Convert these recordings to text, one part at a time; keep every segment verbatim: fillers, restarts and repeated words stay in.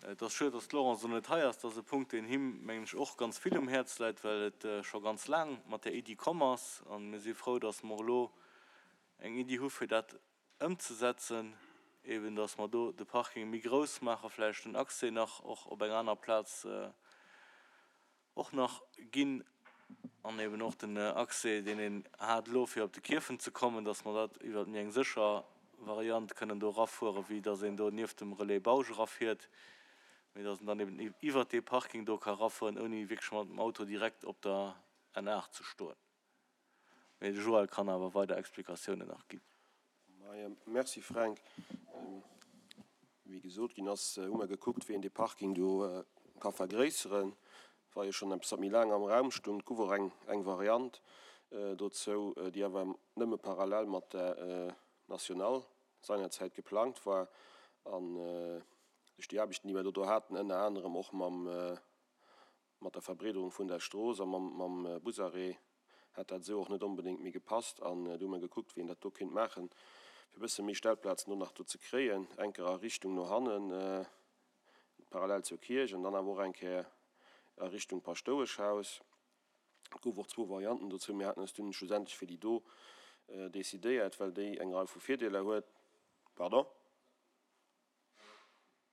Et ass schued, dass d'Laurence elo net hei ass. Dat ass e Punkt, deen him, mengen ech, och ganz vill um Häerz läit, well et scho ganz laang mat där Iddi komm ass. A mir si frou, dass mer elo eng Iddi hu fir dat ëmzesetzen, eben dass mer do de Parking méi grouss maachen, vläicht den Accès nach och op eng aner Plaz och nach ginn an eben och den Accès, deen een hat elo fir op de Kierfent ze kommen, dass mer dat iwwert méi eng sécher Variant kënnen do erafueren, wéi dass een do nieft dem Relais Bausch erafiert, mee dass een dann eben iwwert dee Parking do ka erafueren, ouni wierklech mat dem Auto direkt op der N aacht ze stoen. Mee de Joël kann awer weider Explikatiounen nach ginn. Merci Fränk. Wéi gesot ginn ass, hu mer gekuckt, wéi een dee Parking do ka vergréisseren. War jo schonn eppes, wat méi laang am Raum stung. Et gouf och eng, eng Variant dozou, déi awer nëmme parallel mat der Nationale seinerzäit geplangt war. An duerch déi Aarbechten, déi mer do do haten, ënner anerem och mam, mat der Verbreederung vun der Strooss a mam, mam Busarrêt, hätt dat esou och net onbedéngt méi gepasst. An du hu mer gekuckt, wéi een dat do kéint maachen, fir e bësse méi Stellplazen do nach do ze kréien, eng Kéier a Richtung no hannen, parallel zur Kierch, an dann awer och eng Kéier a Richtung Paschtoueschhaus. Et gouf och zwou Varianten dozou. Mir haten eis dunn schlussendlech fir déi do decidéiert, well déi eng Rei vu Virdeeler huet. Pardon?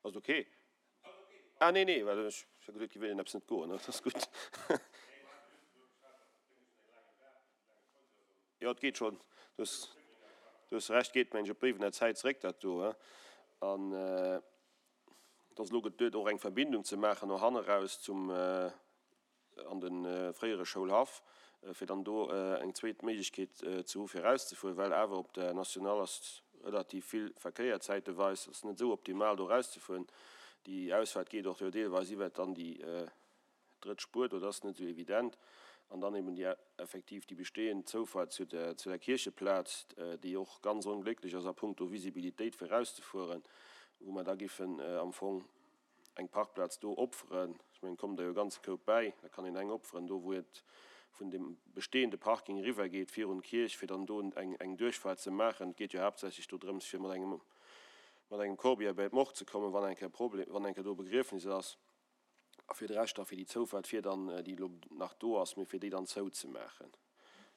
Ass et ok? Ah, nee, nee, well ech hu geduet, et géif iergendeppes net goen. Dat ass gutt. Jo, et geet schonn. Du hues, du hues Recht, geet, mengen ech, op d'Béiwener Zäit zeréck, dat do. An et ass elo geduet, och eng Verbindung ze maachen no hanne raus zum, an de fréiere Schoulhaff, fir dann do eng zweet Méiglechkeet ze hu fir erauszefueren, well awer op der Nationale ass relativ vill Verkéier zäiteweis, ass net esou optimal do erauszefueren. Déi Ausfahrt geet och jo deelweis iwwert dann déi drëtt Spuer do, dat ass net esou evident. An dann eben déi effektiv déi bestehend Zoufahrt zu der zu der Kiercheplaz, déi och ganz onglécklech ass a puncto Visibilitéit fir erauszefueren, wou mer da giffen am Fong eng Parkplaz do opferen. Ech mengen, et kommen der jo e ganze Koup bäi, da kann een eng opferen do, wou et vun dem bestehende Parking eriwwer geet virun d'Kierch, fir dann do eng eng Duerchfahrt ze maachen. Et geet jo haaptsächlech do drëms, fir mat engem mat engem Corbillard bäi d'Morgue ze kommen, wann eng Kéier Problem, wann eng Kéier do e Begriefnis ass. A fir de Rescht da fir déi Zoufahrt, fir dann, déi elo nach do ass, mee fir déi dann zouzemaachen.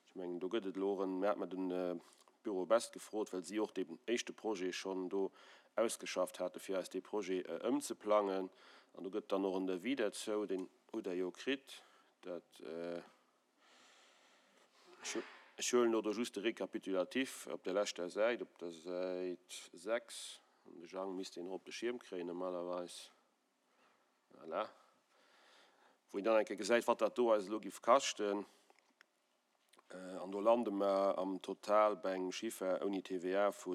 Ech mengen, do gëtt et elo och en, mir hate mer de Bureau Best gefrot, well si och deen éischte Projet schonn do ausgeschafft hate fir eis dee Projet ëmzeplangen. An do gëtt dann och en Devis derzou, deen hutt Der jo kritt. Dat, ech huelen elo do just de Récapitulatif op der leschter Säit, op der Säit sechs. An de Jang misst deen och op de Schierm kréien normalerweis. Voilà. Wou een dann eng Kéier gesäit, wat dat do eis elo giff kaschten. An do lande mer am Total bei engem Chiffer ouni T V A vu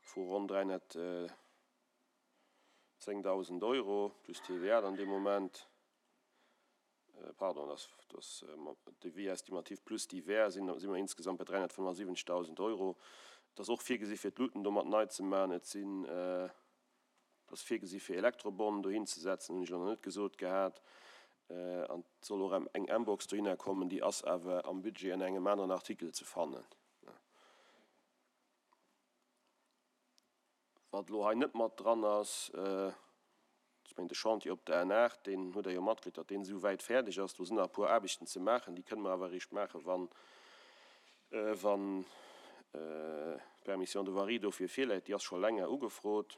vu ronn dräihonnertzéngdausend Euro plus T V A dann dee Moment. Pardon, dat ass Devis estimatif plus divers, sinn si mer insgesamt bei dräihonnertfënnefasiwwenzegdausend Euro. Et ass och virgesi fir d'Luuten do mat nei ze maachen. Et sinn, et ass virgesi fir Elektrobornen dohin ze setzen, hunn ech elo nach net gesot gehat. An et soll och eng mBox dohinner kommen, déi ass awer am Budget an engem aneren Artikel ze fannen. Wat elo hei net mat dran ass, ech mengen de Chantier op der N aacht, deen hutt Der jo matkritt, datt deen esou wäit fäerdeg ass. Do sinn nach e puer Aarbechten ze maachen, déi kënne mer awer eréischt maachen, wann wann d'Permission de voirie dofir virläit. Déi ass scho länger ugefrot.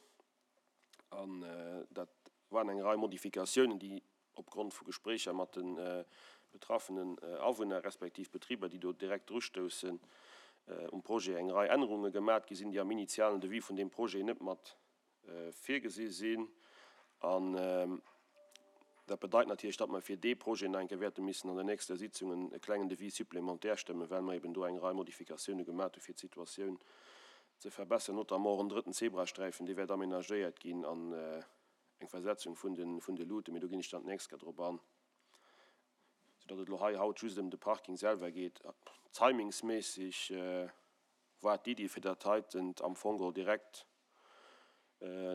An dat waren eng Rei Modifikatiounen, déi opgrond vu Gespréicher mat de betraffenen Awunner respektiv Betriber, déi do direkt drustoussen um Projet, eng Rei Ännerunge gemat gi sinn, déi am initialen Devis vun deem Projet net mat virgesi sinn. An dat bedeit natierlech, datt mer fir dee Projet nach eng Kéier wäerte missen an der nächster Sitzung e klengen Devis supplémentaire stëmmen, well mer eben do eng Rei Modifikatioune gemat hu fir d'Situatioun ze verbessern, notamment och en drëtten Zebrasträifen, dee wäert amenagéiert ginn, an eng Versetzung vun de vun de Luuten, mee do ginn ech dann d'nächst Kéier drop an, soudatt et elo hei haut just ëm de Parking selwer geet. Timingsméisseg war d'Iddi, fir dat heiten am Fong geholl direkt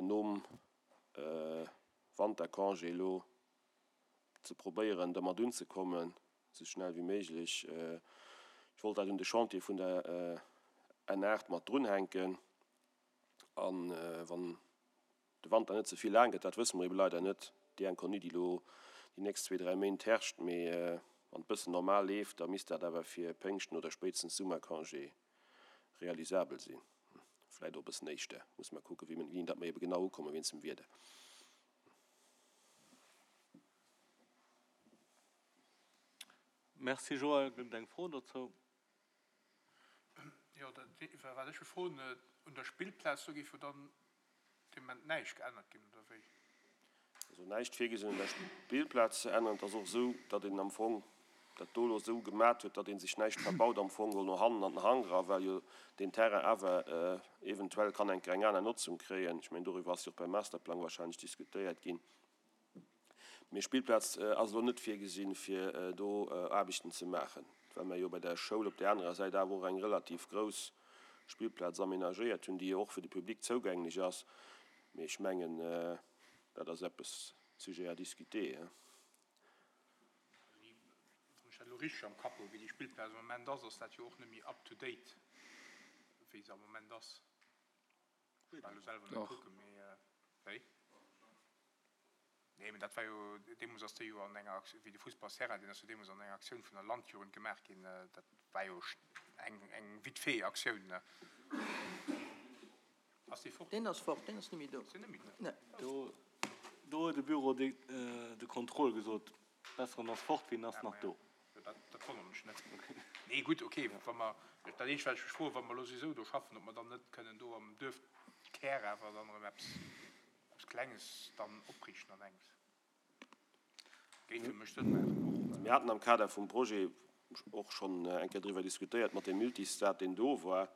nom Wantercongé elo ze probéieren, dermat unzekommen, esou schnell wéi méiglech. Ech wollt dat un de Chantier vun der N aacht mat drunhänken, a wann de Wanter net ze vill laang gëtt, dat wësse mer ebe leider net. Déi Inconnue, déi elo déi nächst zwee, dräi Méint herrscht, mee wann et bëssen normal leeft, da misst dat awer fir Péngschten oder spéitstens Summercongé realisabel sinn. Vläicht och e bëssen éischter. Musse mer kucken, wéini datt mer ebe genau ukomme wéinst dem Wieder. Merci Joël. Gëtt et eng Fro dozou? Jo, dat wat ech wëll froen, un der Spillplaz, do géif jo dann dee Moment näischt geännert ginn, oder wéi? Also näischt virgesinn un der Spillplaz ze änneren. Et ass och esou, datt een am Fong dat do elo esou gemat huet, datt ee sech näischt verbaut am Fong no hannen an den Hank era, well jo deen Terrain awer eventuell kann eng eng aner Notzung kréien. Ech mengen, doriwwer ass jo och beim Masterplang wahrscheinlech diskutéiert ginn. Mee Spillplaz ass elo net virgesinn, fir do Aarbechten ze maachen, well mer jo bei der Schoul op där anerer Säit awer och eng relativ grouss Spillplaz amenagéiert hunn, déi jo och fir de Public zougänglech ass. Mee ech mengen, dat ass eppes sujet à discuter. Wann ech dat elo richteg am Kapp hu wéi déi Spillplaz am Moment ass, ass dat jo och net méi up to date, wéi se am Moment ass. Ech war elo selwer net kucken, mee wéi? Nee, mee dat war jo, deemools ass déi jo an enger Aktioun, wéi de Fussballsterrain, deen ass jo deemools an enger Aktioun vun der Landjugend gemaach ginn. Dat war jo eng, eng vite fait Aktioun, ne? Ass dee fort? Deen ass fort, deen ass net méi do. Ass deen net méi do? Nee. Do, do huet de Bureau de, de contrôle gesot, besser en ass fort wéi en ass nach do. Jo, dat, dat wonnert mech net. Nee, gutt, okay, wa mer, dat eenzegt, wat ech mech froen, wa mer elo souwisou do schaffen, ob mer dann net kënnen do am Duerfkär awer dann erëm eppes, eppes Klenges dann opriichten an engems. Géif fir mech Sënn maachen och. Mir haten am Kader vum Projet och schonn eng Kéier driwwer diskutéiert mat deem Multistade, deen do war.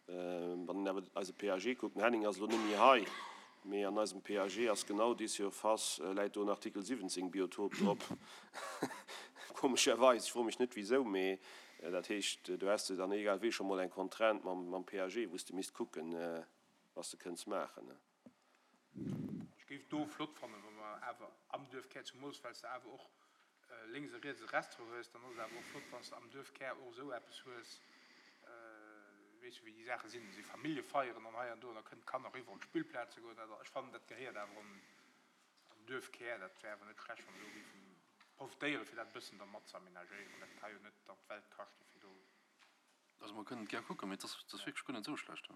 Wann een awer eise P A G kuckt, den Henning ass elo net méi hei, mee an eisem P A G ass genau déi Surface, läit do en Artikel siwwenzéng Biotop drop, komescherweis. Ech froe mech net wisou, mee dat heescht, do häss de dann egal wéi scho mol eng Contrainte mam mam P A G, wou s de misst kucken, wat s de kënns maachen. Ech géif do flott fannen, wa mer awer am Duerfkär, zumools well s de awer och lénks a riets e Restaurant hues, dann ass et awer och flott, wann s de am Duerfkär och esou eppes hues, weess jo wéi déi Saache sinn, si Familljefeieren an hei an do, an da kënnen d'Kanner eriwwer op d'Spillplaz ze goen. Ech fannen, dat gehéiert awer an an Duerfkär. Dat wär awer net schlecht, wa mer do géifen profitéieren, fir dat e bëssen da mat ze aménagéieren. Dat ka jo net dann d'Welt kaschten, fir do. Also mer kënnen et gär kucken, mee et ass, et ass wierklech guer net esou schlecht.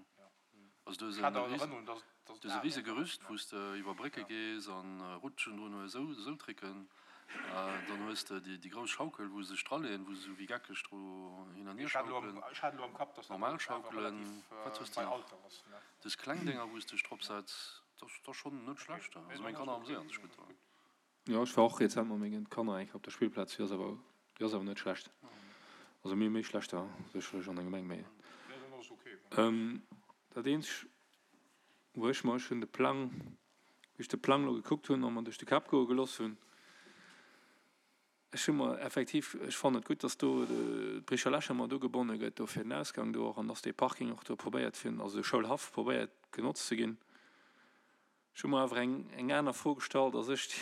Also du hues Ech hat e awer ris, Erënnerung, dass dass du et hues e al rise ass. Gerüst, wou s de iwwer Brécke gees an Rutschen drun hues, esou esou Tricken. Dann hues de déi déi grouss Schaukel, wou se sech draleeën, wou se esou wéi geckeg dru hin an hier Ech hat elo am, schaukelen. ech hat elo am Kapp, dass dat Normal awer Schaukelen, relativ wat hues de bei nach? Alter ass, ne? Dës kleng Dénger, wou s de dech drop setz, dat ass dat ass schonn net Okay, schlecht. nee, Also dann meng ass Kanner et okay. ameséieren sech gutt dran. Jo, ech war och rezent mat mengen Kanner eng Kéier op der Spillplaz, déi ass awer, déi ass awer net schlecht. Also mir hu méi schlechter sécherlech an der Gemeng, mee Nee, dann ass et okay, wann. dat eenzeg wou ech mer, ech hunn de Plang, wéi ech de Plang elo gekuckt hunn a mer duerch de Kapp goe gelooss hunn, ech hu mer effektiv, ech fannen et gutt, dass do d'Bricher Lächer mat ugebonne gëtt do fir den Ausgang do och an dass dee Parking och do probéiert fir, also de Schoulhaff probéiert genotzt ze ginn. Ech hu mer awer eng eng aner Fro gestallt, dass ech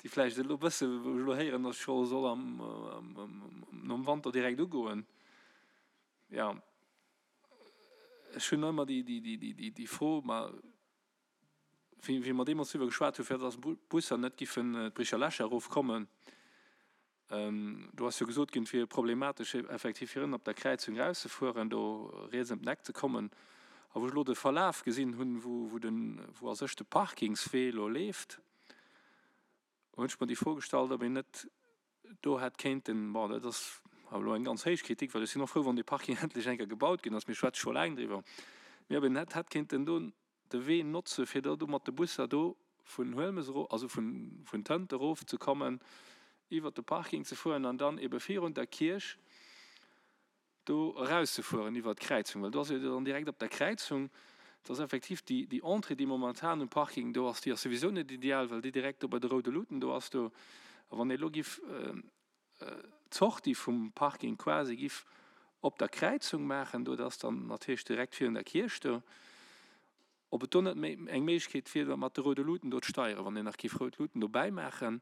déi vläicht elo e bësse, wou ech elo héieren, dass ech scho soll am nom Wanter direkt ugoen. Jo, ech hunn ëmmer déi déi déi déi déi Fro, ma wéi wéi mer deemools driwwer geschwat hu fir dass d'Busser net giffen d'Bricher Lächer erofkommen, do ass jo gesot ginn, et wier problematesch effektiv fir ënnen op der Kräizung erauszefueren, do riets ëm den Eck ze kommen. A wou ech elo de Verlaf gesinn hunn, wou wou den wou a sech de Parkingswee elo leeft, hunn ech mer déi Fro gestallt, ob een net do hätt kéinten, bon dat ass awer elo eng ganz héich Kritik, well ech sinn och frou, wann dee Parking endlech eng Kéier gebaut ginn ass, mir schwätze scho laang driwwer, mee ob een net hätt kéinten do de Wee notze fir da do mat de Busser do vun Huelmes ero, also vun vun Tënt erof ze kommen, iwwert de Parking ze fueren an dann ebe virun der Kierch do erauszefueren iwwert d'Kräizung, well do ass jo dann direkt op der Kräizung, et ass effektiv déi déi Entrée, déi momentan um Parking do ass, déi ass souwisou net ideal, well déi direkt do bei de roude Luuten do ass do. A wann ee elo giff d'Sortie vum Parking quasi giff op der Kräizung maachen do, dat ass dann natierlech direkt virun der Kierch do, ob et do net méi eng Méiglechkeet wier, mat de roude Luuten do d'Steieren, wann een nach giff rout Luuten dobäi maachen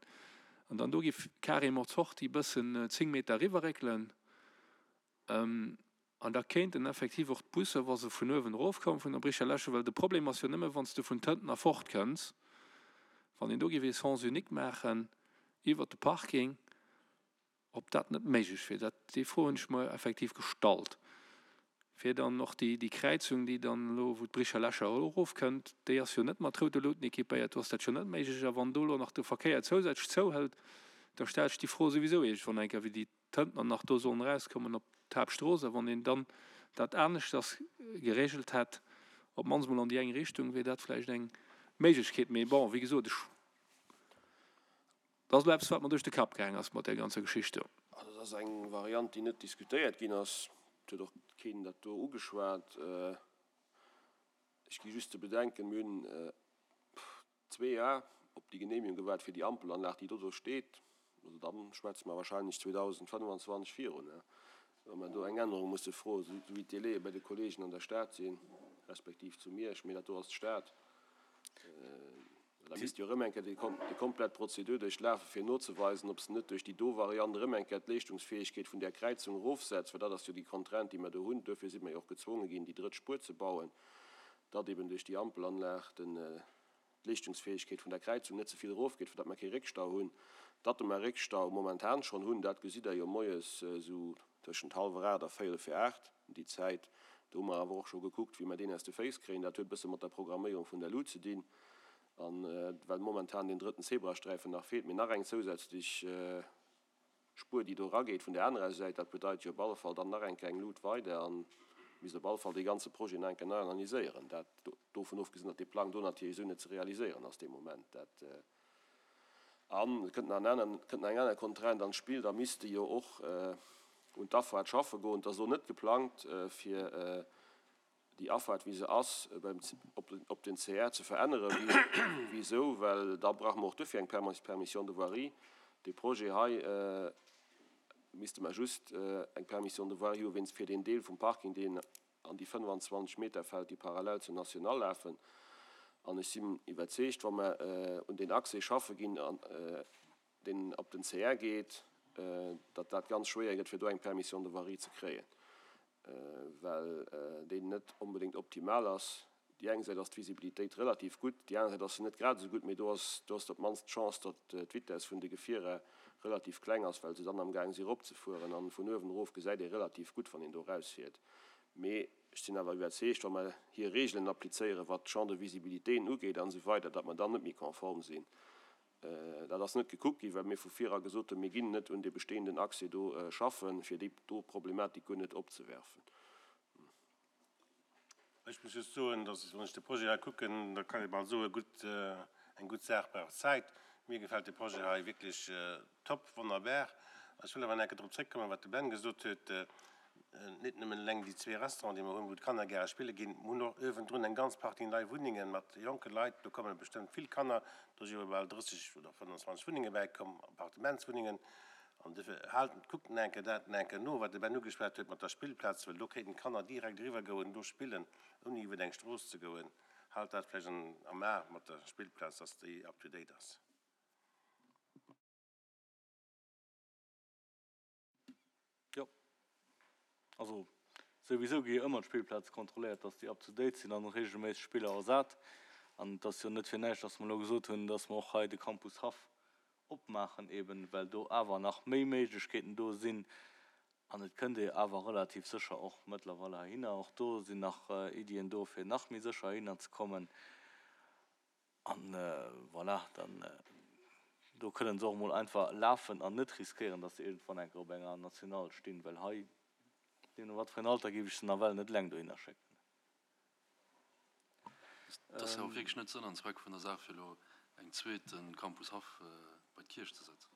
an dann do giff carrément d'Sortie bëssen zéng Meter eriwwerréckelen. An da kéinten effektiv och d'Busser, wa se vun uewen erofkommen, vun der Bricherläsche, well de Problem ass jo nëmme wann s de vun Tënten erfort kënns, wann een do géif ee Sens unique maachen iwwert de Parking, ob dat net méiglech wier. Dat, déi Fro hunn ech mer effektiv gestallt, fir dann och déi, déi Kräizung, déi dann elo, wou d'Bricherläsche erofkënnt, déi ass jo net mat roude Luuten équipéiert, do ass dat jo net méiglech. A wann do elo nach de Verkéier zousätzlech zouhëlt, da stellt sech déi Fro souwisou iergendwann eng Kéier, wéi déi Tëntener nach do sollen erauskommen op d'Haaptstrooss. A wann een dann dat aneschters geregelt hätt, op d'mannst mol an déi eng Richtung, wier dat vläicht eng Méiglechkeet. Mee bon, wéi gesot, ech, dat ass elo eppes, wat mer duerch de Kapp gaang ass mat där ganzer Geschicht do. Also dat ass eng Variant, déi net diskutéiert ginn ass. Et huet och keen dat do ugeschwat. Ech gi just ze bedenken, mir hunn zwee Jar op déi Genehmigung gewaart fir déi Ampelanlag, déi do do steet. Also da schwätze mer wahrscheinlech zweedausendfënnwanzwanzeg virun, wa mer do eng Ännerung musse froen, esou wéi d'Délaië bei de Kollegen an der Stad sinn, respektiv zu Miersch, mee dat do ass d'Stad. Da misst jo erëm eng Kéier déi komplett Prozedur duerchlafen, fir nozeweisen, ob se net duerch déi do Variant erëm eng Kéier d'Leeschtungsfäegkeet vun där Kräizung erofsetzt, well dat ass jo déi Contrainte, déi mer do hunn. Duerfir si mer jo och gezwonge ginn, déi drëtt Spuer ze bauen, datt eben duerch déi Ampelanlag d'Leeschtungsfäegkeet vun der Kräizung net ze vill erofgeet, fir datt mer kee Réckstau hunn. Datt mer Réckstau momentan schonn hunn, dat gesitt Der jo moies esou tëschent hallwer aacht a véierel vir aacht, déi Zäit. Do hu mer awer och scho gekuckt, wéi mer deen aus de Féiss kréien. Dat huet e bësse mat der Programméierung vun der Lut ze dinn. A well momentan deen drëtten Zebrasträifen nach feelt, mee nach eng zousätzlech Spuer, déi do erageet vun där anerer Säit, dat bedeit jo op alle Fall dann nach eng Kéier eng Lut weider a misst op alle Fall dee ganze Projet nach eng Kéier nei analyséieren. Dat, dovun ofgesinn, datt dee Plang do natierlech esou net ze realiséieren ass dee Moment. Dat, an et kënnt nach en aner, kënnt nach eng aner Contrainte an d'Spill, da misst e jo och un d'Afaart schaffe goen. Et ass elo net geplangt, fir déi Afaart, wéi se ass, op den C R ze veränneren. Wisou? Well da brauche mer och duerfir eng Permission de voirie. Dee Projet hei misste mer just eng Permission de voirie hu wéinst fir deen Deel vum Parking, deen an déi fënnefanzwanzeg Meter fält, déi parallel zur Nationale lafen. An ech sinn iwwerzeegt, wa mer un deen Accès schaffe ginn, deen op den C R geet, datt dat ganz schwéier gëtt, fir do eng Permission de voirie ze kréien, well deen net onbedéngt optimal ass. Déi eng Säit ass d'Visibilitéit relativ gutt, déi aner Säit ass se net grad esou gutt, mee do ass do ass op d'mannst d'Chance, datt d'Vitess vun de Gefierer relativ kleng ass, well se dann amgaang si eropzefueren an vun uewen erof gesäit ee relativ gutt, wann een do erausfiert. Mee ech sinn awer iwwerzeegt, wa mer hir Regeln applizéieren, wat d'Champ de visibilitéen ugeet an esou weider, datt mer dann net méi konform sinn. Dat ass net gekuckt ginn, well mir vu vir era gesot hunn, mir ginn net un dee bestehenden Accès do schaffen, fir déi do Problematik guer net opzewerfen. Ech muss just soen, dass, wann ech de Projet hei kucken, da kann ee bal soen, gutt, eng gutt Saach brauch Zäit. Mir gefält de Projet hei wierklech top, wonnerbar. Ech wëll awer nach eng Kéier drop zréckkommen, wat de Ben gesot huet, Net nëmmen eleng déi zwee Restauranten, déi mer hunn, wou d'Kanner gäre spille ginn, mer hunn och uewendrun eng ganz Partie nei Wunnenge mat jonke Leit. Do komme bestëmmt vill Kanner. Do si jo bal drësseg oder fënnwanzwanzeg Wunnenge bäikomm, Appartementswunnengen. An duerfir haalt, kuckt nach eng Kéier dat nach eng Kéier no, wat de Ben ugeschwat huet mat der Spillplaz, well do kéinten d'Kanner direkt eriwwergoen, do spillen, ouni iwwer eng Strooss ze goen. Haalt dat vläicht am A mat der Spillplaz, dass déi up to date ass. Jo, also souwisou gi jo ëmmer d'Spillplaze kontrolléiert, dass déi up to date sinn an reegelméisseg Spiller ersat. An et ass jo net fir näischt, dass mer elo gesot hunn, dass mer och hei de Campus Haff opmaachen, eben well do awer nach méi Méiglechkeeten do sinn. An et kënnt ee awer relativ sécher och mëttlerweile heihinner. Och do sinn nach Iddien do, fir nach méi sécher heihinner ze kommen. An voilà, dann do kënnen se och emol einfach lafen an net riskéieren, dass se iergendwann eng Kéier op enger Nationale stinn, well hei, deemno wat fir en Alter, géif ech se nawell net eleng dohinner schécken. Et ass jo och wierklech net Sënn an Zweck vun der Saach, fir elo eng zweet Campus Haff bei d'Kierch ze setzen.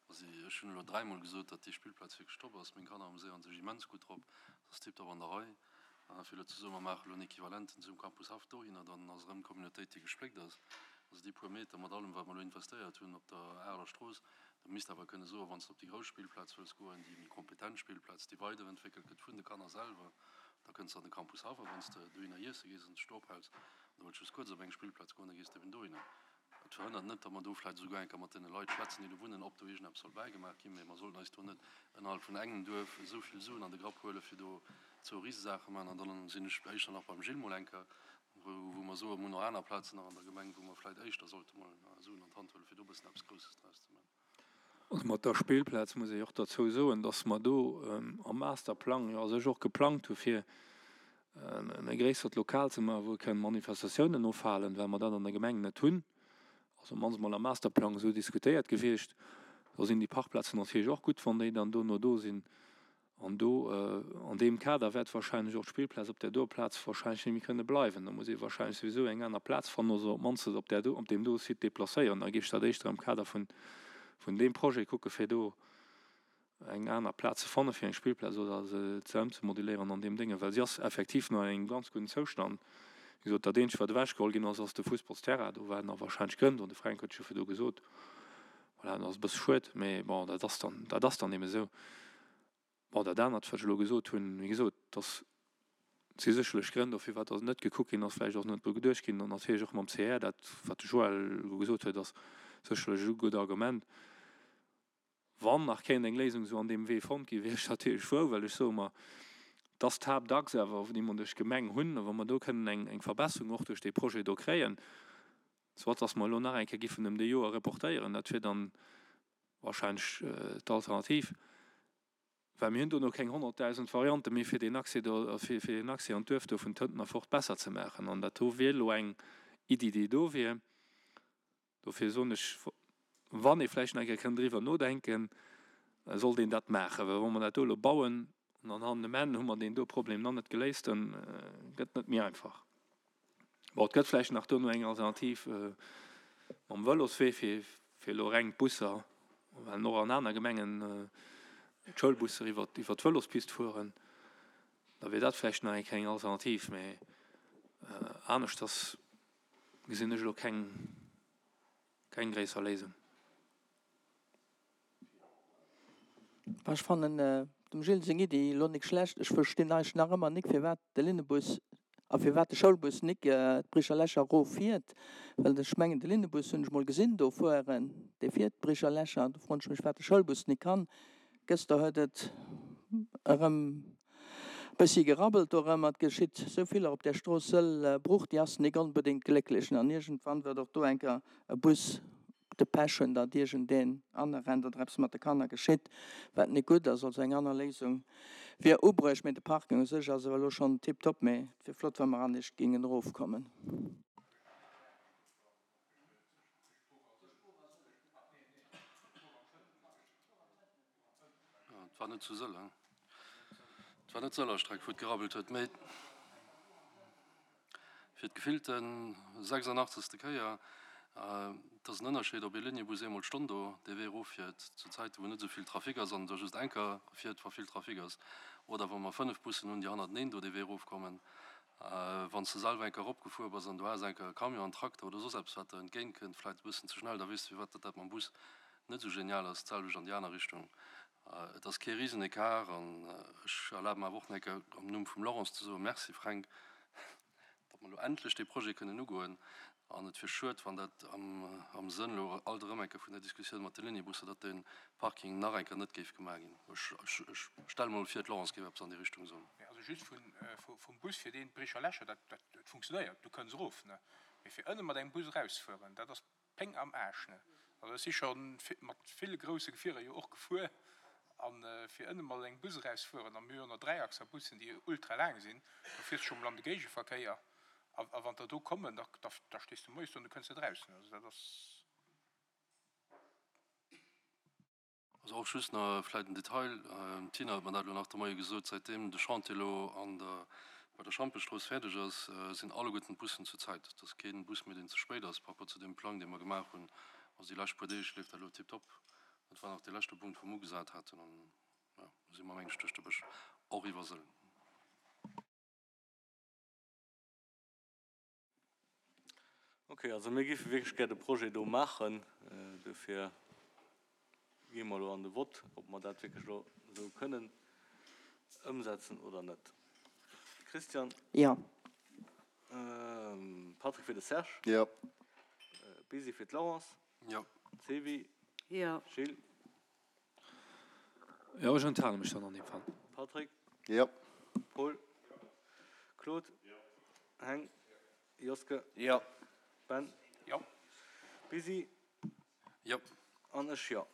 Also ech hunn elo dräimol gesot, datt déi Spillplaz wierklech top ass. Meng Kanner amuséiere sech immens gutt drop. Et ass tiptop an der Rei. A fir elo ze soen, mer maache elo en Equivalenten zum Campus Haff dohinner, dann ass erëm d'Communautéit, déi gespléckt ass. Also déi puer Meter mat allem, wat mer elo investéiert hunn op der Areler Strooss, da misst awer kënne soen, wann s de op déi grouss Spillplaz wëlls goen, déi méi kompetent Spillplaz, déi weiderentwéckelt gëtt vun de Kanner selwer, da kënns de an de Campus Haff. A wann s de dohinner iesse gees an dech do ophäls an du wëlls just kuerz op eng Spillplaz goen, da gees de eben dohinner. Et Dat verhënnert net, datt mer do vläicht esouguer eng Kéier mat deene Leit schwätzen, déi do wunnen, ob do iergendeppes soll bäigemaach ginn. Mee mer sollten eis do net ënnerhalb vun engem Duerf esou vill Suen an de Grapp huelen, fir do zwou Risesaache maachen. An dann sinn ech éischter nach beim Gilles mol eng Kéier, wou, wou mer soen, mer hunn och aner Plazen nach an der Gemeng, wou mer vläicht éischter sollte mol Suen an d'Hand huelen, fir do e bëssen eppes Grousses draus ze maachen. Also mat der Spillplaz muss ee och derzou soen, dass mer do am Masterplang jo a sech och geplangt hu fir e gréissert Lokal ze maachen, wou kënnen Manifestatiounen ofhalen, well mer dat an der Gemeng net hunn. Also op d'mannst mol am Masterplang esou diskutéiert gewiescht. Da sinn déi Parkplazen natierlech och gutt, wann déi dann dono do sinn. An do, an deem Kader wäert wahrscheinlech och d'Spillplaz op där doer Plaz wahrscheinlech net méi kënne bleiwen. Da muss ee wahrscheinlech souwisou eng aner Plaz fannen oder se op d'mannst op där do, op deem do Site deplacéieren. Da géif ech dat éischter am Kader vun, vun deem Projet kucke fir do eng aner Plaz ze fanne fir eng Spillplaz oder se ze ëmzemoduléieren an deem Dénge, well si ass effektiv nach an engem ganz gudden Zoustand. Wéi gesot, dat eenzegt wat ewechgeholl ginn ass, ass de Fussballsterrain. Do waren nach wahrscheinlech Grënn do, de Fränk huet jo virdu gesot. Voilà, dat ass e bësse schued, mee bon, dat ass dann, dat ass dann ebe sou. Bon, dat anert, wat ech elo gesot hunn, wéi gesot, dass si sécherlech Grënn do, firwat dass net gekuckt ginn ass, vläicht och net dru geduecht ginn an natierlech och mam C R, dat wat de Joël elo gesot huet, ass sécherlech e gutt Argument. Wann nach kéint eng Léisung esou an deem Wee fonnt ginn, wier ech natierlech frou, well ech soe mer, dass d'Haaptachs awer, déi mer duerch d'Gemeng hunn, a wa mer do kënnen eng, eng Verbesserung och duerch dee Projet do kréien, soit dass mer elo nach eng Kéier giffen ëm déi Joer reportéieren, dat wier dann wahrscheinlech d'Alternativ, well mir hunn dono keng honnertdausend Variante méi, fir deen Accès do, fir, fir deen Accès an d'Duerf do vun Tënten erfort besser ze maachen. An dat do wier elo eng Iddi, déi do wier. Dofir soen ech, wann ee vläicht nach eng Kéier kënnt driwwer nodenken, sollt een dat maachen, well wa mer dat do elo bauen an dann hannen um Enn hu mer deen do Problem nach net geléist, dann gëtt et net méi einfach. Bon, et gëtt vläicht nach dono eng Alternativ mam Vëloswee fir, fir elo reng d'Busser, well och an aner Gemengen d'Schoulbusser iwwer, iwwer d'Vëlospist fueren, da wier dat vläicht nach eng kleng Alternativ, mä aneschters gesinn ech elo keng, keng gréisser Léisung. Ech fannen dem Gilles seng Iddi elo nik schlecht. Ech verstinn eigentlech nach ëmmer nik, firwat de Linnebus a firwat de Schoulbus nik d'Bricher Lächer erof fiert. Well ech mengen, de Linnebus hunn ech mol gesinn do fueren, dee fiert d'Bricher Lächer. Do froen ech mech, wat de Schoulbus nik kann. Gëster huet et erëm bëssi gerabbelt do erëm. Et geschitt sou vill op där Strooss Sëll Bruch, déi ass nik onbedéngt glécklech. An iergendwann wird och do eng Kéier e Bus de Pech hunn, datt iergendeen anerennt oder eppes mat de Kanner geschitt, wat net gutt ass. Also eng aner Léisung wier ubruecht. Mee de Parking u sech ass awer elo schonn tiptop. Mee et wier flott, wa mer anescht géingen erofkommen. Et war net zu Sëll, hein? Et war net d'Sëller Streck, wou et gerabbelt huet, mee fir d'gefillte sechsundachtzegste Kéier. Et ass en Ënnerscheed, ob ee Liniebus eemol d'Stonn do dee Wee eroffiert, zu Zäiten, wou net esou vill Trafic ass, an da just eng Kéier fiert, wa vill Trafic ass, oder wa mer fënnef Bussen hunn, déi hannerteneen do dee Wee erofkommen. Wann s de selwer eng Kéier eropgefuer bass an du has eng Kéier e Camion, en Trakter oder soss eppes, wat der entgéintkënnt, vläicht e bëssen ze schnell, da weess de, firwat datt dat mam Bus net esou genial ass. D'selwecht an déi aner Richtung. Et ass kee Risenecart an ech erlabe mer awer och nach eng Kéier am Numm vum Laurence ze soen, Merci Fränk, datt mer elo endlech dee Projet kënnen ugoen. An et wier schued, wann dat am Sënn elo alt erëm eng Kéier vun der Diskussioun mat de Liniebusser, datt dee Parking nach eng Kéier net géif gemaach ginn. Ech stelle mer emol vir, d'Laurence géif eppes an déi Richtung soen. Mee also just vum Bus, fir deen d'Bricher Lächer, dat funktionéiert, du kënns erof, ne? Mee fir ënne mat engem Bus erausfueren, dat ass Péng am Aarsch, ne? Also ech si scho mat ville grousse Gefierer jo och gefuer, a fir ënne mat engem Bus erausfueren, a mir hunn jo nach Dräiachser-Bussen, déi ultra laang sinn, do fiers de scho mol an de Géigeverkéier. A wann der do kommen, da, da, da stees du moies do an du kënns net raus. Also dat ass. Also och just nach vläit en Detail, d'Tina huet mer dat elo nach de Moie gesot, säitdeem de Chantier elo an der, bei der Schampestrooss fäerdeg ass, sinn alleguerten d'Bussen zur Zäit. Et ass kee Bus méi, deen ze spéit ass par rapport zu deem Plang, dee mer gemaach hunn. Also déi lescht puer Deeg leeft dat elo tiptop. Dat war nach dee leschte Punkt, wou mer ugesat haten. An, jo, do si mer, meng ech, duerch de Bësch och iwwer Sëll. Ok, also mir géife wierklech gär de Projet do maachen. Dofir gi mer elo an de Vott, ob mer dat wierklech elo esou kënnen ëmsetzen oder net. Christian? Jo. Patrick fir de Serge? Jo. Bisi fir d'Laurence. Jo. Sevi. Jo. Gilles. Jo, ech enthale mech dann an deem Fall. Patrick. Jo. Paul. Claude. Heng. Joske. Jo. Ben. Jo. Bisi. Jo. An ech jo.